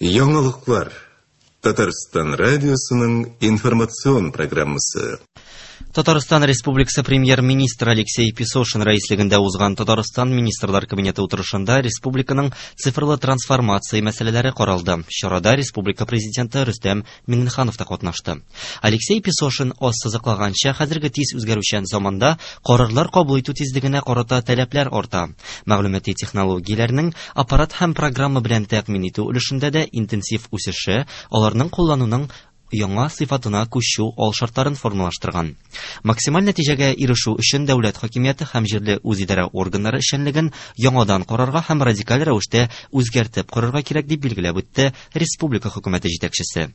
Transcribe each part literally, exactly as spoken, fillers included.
Яңалыклар. Татарстан радиосының информацион программасы. Татарстан Республикасы премьер-министры Алексей Песошин рәислегендә узган Татарстан Министрлар Кабинеты утырышында республиканың цифрлы трансформация мәсьәләләре каралды. Чарада республика президенты Рөстәм Миңнеханов та катнашты. Алексей Песошин ассызыклаганча, хәзерге тиз үзгәрүчән заманда карарлар кабул итү тизлегенә карата таләпләр арта. Мәгълүмати технологияләрнең аппарат һәм программа белән тәэмин итү өлешендә дә интенсив үсеше, аларның куллануның яңа сыйфатына күчү алшартларын формалаштырган. Максималь нәтиҗәгә ирешү өчен дәүләт хакимияте һәм җирле үзидарә органнары эшчәнлеген яңадан карарга һәм радикаль рәвештә үзгәртеп корырга кирәк, дип билгеләп үтте республика хөкүмәте җитәкчесе.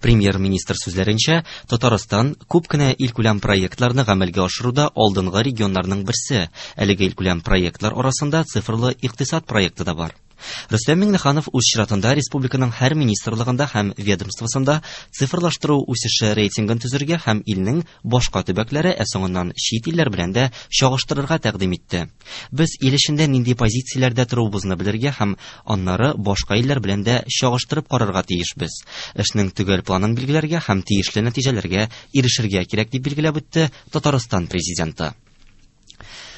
Премьер-министр сүзләренчә, Татарстан күп кенә илкүләм проектларны гамәлгә ашыруда алдынгы регионнарның берсе. Әлеге илкүләм проектлар арасында цифрлы икътисад проекты да бар. Рөстәм Миңнеханов үз чиратында республиканың һәр министрлыгында һәм ведомствосында цифрлаштыру үсеше рейтингын төзергә һәм илнең башка төбәкләре, ә соңыннан чит илләр белән дә чагыштырырга тәкъдим итте. Без ил эчендә нинди позицияләрдә торуыбызны белергә һәм аннары башка илләр белән дә чагыштырып карарга тиешбез. Эшнең төгәл планын билгеләргә һәм тиешле нәтиҗәләргә ирешергә кирәк, дип билгеләп үтте Татарстан президенты.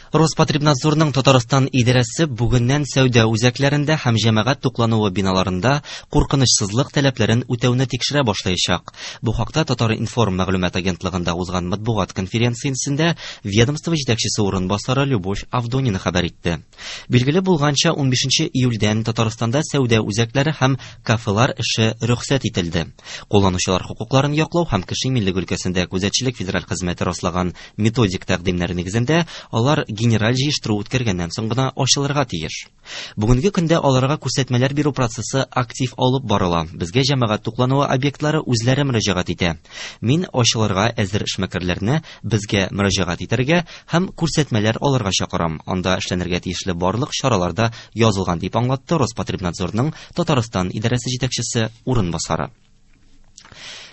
Роспотребнадзорның Татарстан идарәсе бүгеннән сәүдә үзәкләрендә һәм җәмәгать туклануы биналарында куркынычсызлык таләпләрен үтәүне тикшерә башлаячак. Бу хакта Татар-информ мәгълүмат агентлыгында узган матбугат конференциясендә ведомство җитәкчесе урынбасары Любовь Авдонина хәбәр итте. Билгеле булганча, унбишенче июльдән Татарстанда сәүдә үзәкләре һәм кафелар эше рөхсәт ителде. Кулланучылар хокукларын яклау һәм кеше иминлеге өлкәсендә күзәтчелек федераль хезмәте раслаган методик тәкъдимнәр нигезендә алар генераль җыештыру үткәргәннән соң гына ачылырга тиеш. Бүгенге көндә аларга күрсәтмәләр бирү процессы актив алып барыла. Безгә җәмәгать туклануы объектлары үзләре мөрәҗәгать итә. Мин ачылырга әзер эшмәкәрләрне безгә мөрәҗәгать итәргә һәм күрсәтмәләр алырга чакырам. Анда эшләнергә тиешле барлык чаралар да язылган, дип аңлатты Роспотребнадзорның Татарстан идарәсе җитәкчесе урынбасары.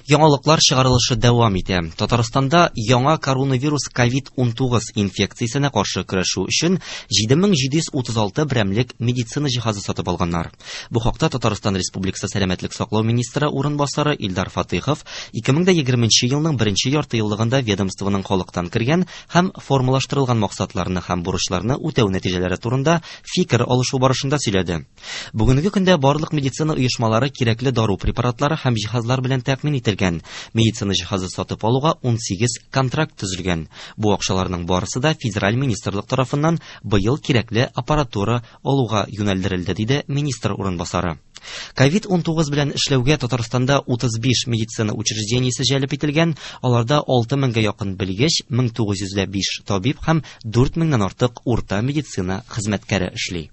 Яңалыклар чыгарылышы дәвам итә. Татарстанда яңа коронавирус ковид унтугыз инфекциясенә каршы көрәшү өчен җиде мең җиде йөз утыз алты берәмлек медицина җиһазы сатып алганнар. Бу хакта Татарстан Республикасы сәламәтлек саклау министры урынбасары Илдар Фатыйхов ике мең дә егерменче елның беренче ярты еллыгында ведомствоның халыктан кергән һәм формалаштырылган максатларны һәм бурычларны үтәү нәтиҗәләре турында фикер алышу барышында сөйләде. Бүгенге көндә барлык медицина оешмалары кирәкле дару препаратлары һәм җиһазлар белән тәэмин ителгән. Медицина җиһазы сатып алуга ун сигез контракт төзелгән. Бу акчаларның барысы да федераль министрлык тарафыннан быел кирәкле аппаратура алуга юнәлдерелде, диде министр урынбасары. ковид унтугыз белән эшләүгә Татарстанда утыз биш медицина учреждениесе җәлеп ителгән, аларда алты меңгә якын белгеч, мең тугыз йөз дә биш табиб һәм дүрт меңнән артык урта медицина хезмәткәре эшли.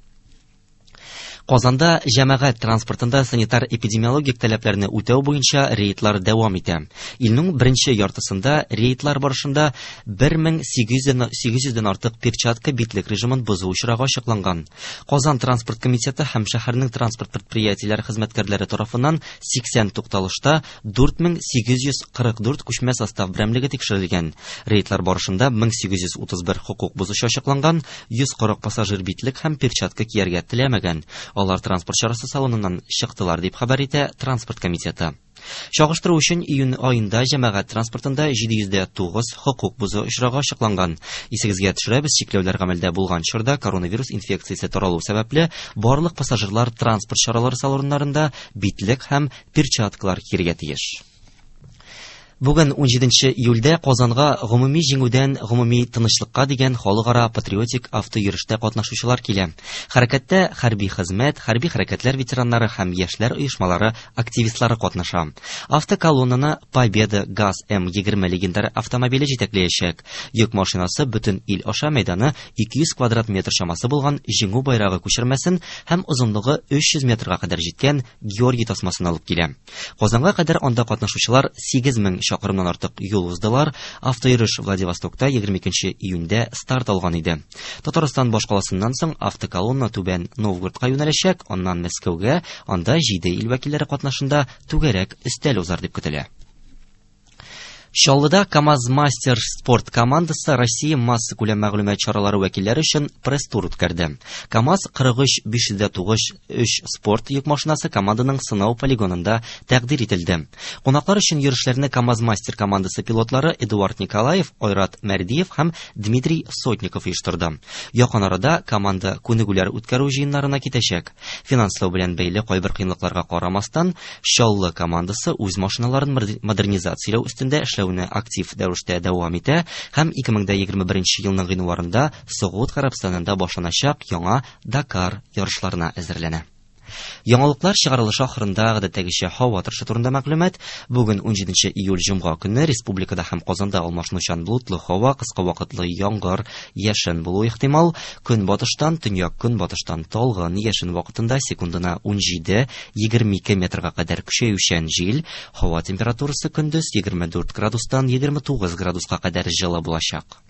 Казанда җәмәгать транспортында санитар-эпидемиологик таләпләрне үтәү буенча рейдлар дәвам итә. Илнең беренче яртысында рейдлар барышында бер мең сигез йөздән артык перчатка битлек режимын бозу очрагы ачыкланган. Казан транспорт комитеты һәм шәһәрнең транспорт предприятиеләре хезмәткәрләре тарафыннан сиксән тукталышта дүрт мең сигез йөз кырык дүрт күчмә состав берәмлеге тикшерелгән. Рейдлар барышында мең сигез йөз утыз бер хокук бозучы ачыкланган, йөз кырык пассажир битлек һәм перчатка кияргә теләмәгән. Алар транспорт чарасы салоныннан чыктылар, дип хәбәр итә транспорт комитеты. Чагыштыру өчен июнь аенда җәмәгать транспортында җиде йөз дә тугыз хокук бозу очрагы ачыкланган. Исегезгә төшерәбез, чикләүләр гамәлдә булган чорда коронавирус инфекциясе таралу сәбәпле барлык пассажирлар транспорт чаралары салоннарында битлек һәм перчаткалар кияргә тиеш. Бүген унҗиденче июльдә Казанга гомуми җиңүдән гомуми тынычлыкка дигән халыкара патриотик автойөрештә катнашучылар килә. Хәрәкәттә хәрби хезмәт, хәрби хәрәкәтләр ветераннары һәм яшьләр оешмалары активистлары катнаша. Автоколоннаны Победа ГАЗ М егерме легендар автомобиле җитәкләячәк. Йөк машинасы бөтен ил аша мәйданы ике йөз квадрат метр чамасы булган Җиңү байрагы күчермәсен һәм озынлыгы өч йөз метрга кадәр җиткән Георгий тасмасын алып килә. Казанга кадәр анда катнашучылар сигез мең чакрымнан артык юл уздылар. Автойөреш Владивостокта егерме икенче июньдә старт алган иде. Татарстан башкаласыннан соң автоколонна Түбән Новгородка юнәләчәк, аннан Мәскәүгә, анда җиде ил вәкилләре катнашында түгәрәк өстәл узар дип көтелә. Чаллыда КАМАЗ-Мастер спорт командасы Россия массакүләм мәгълүмат чаралары вәкилләре өчен пресс-тур үткәрде. КАМАЗ кырык өч биш йөз тугыз өч спорт йөк машинасы команданың сынау полигонында тәкъдир ителде. Кунаклар өчен йөрешләрне КАМАЗ-Мастер командасы пилотлары Эдуард Николаев, Айрат Мәрдиев һәм Дмитрий Сотников оештырды. Якын арада команда күнегүләр үткәрү җыеннарына китәчәк. Финанслау белән бәйле кайбер кыенлыкларга карамастан, Чаллы командасы үз машиналарын модернизацияләү өстендә эшләү актив рәвештә дәвам итә һәм ике мең егерме беренче елның гыйнварында Согуд Гарәбстанында башланачак яңа Дакар ярышларына әзерләнә. Яңалыклар чыгарылышы ахырында гадәттәгечә һава торышы турында мәгълүмат. Бүген унҗиденче июль җомга көнне республикада һәм Казанда алмашынучан болытлы һава, кыска вакытлы яңгыр, яшен булуы ихтимал. Көнбатыштан, төньяк көнбатыштан талгын, яшен вакытында секундына унҗиде егерме ике метрга кадәр көчәючән җил. Һава температурасы көндез егерме дүрт градустан егерме тугыз градуска кадәр җылы булачак.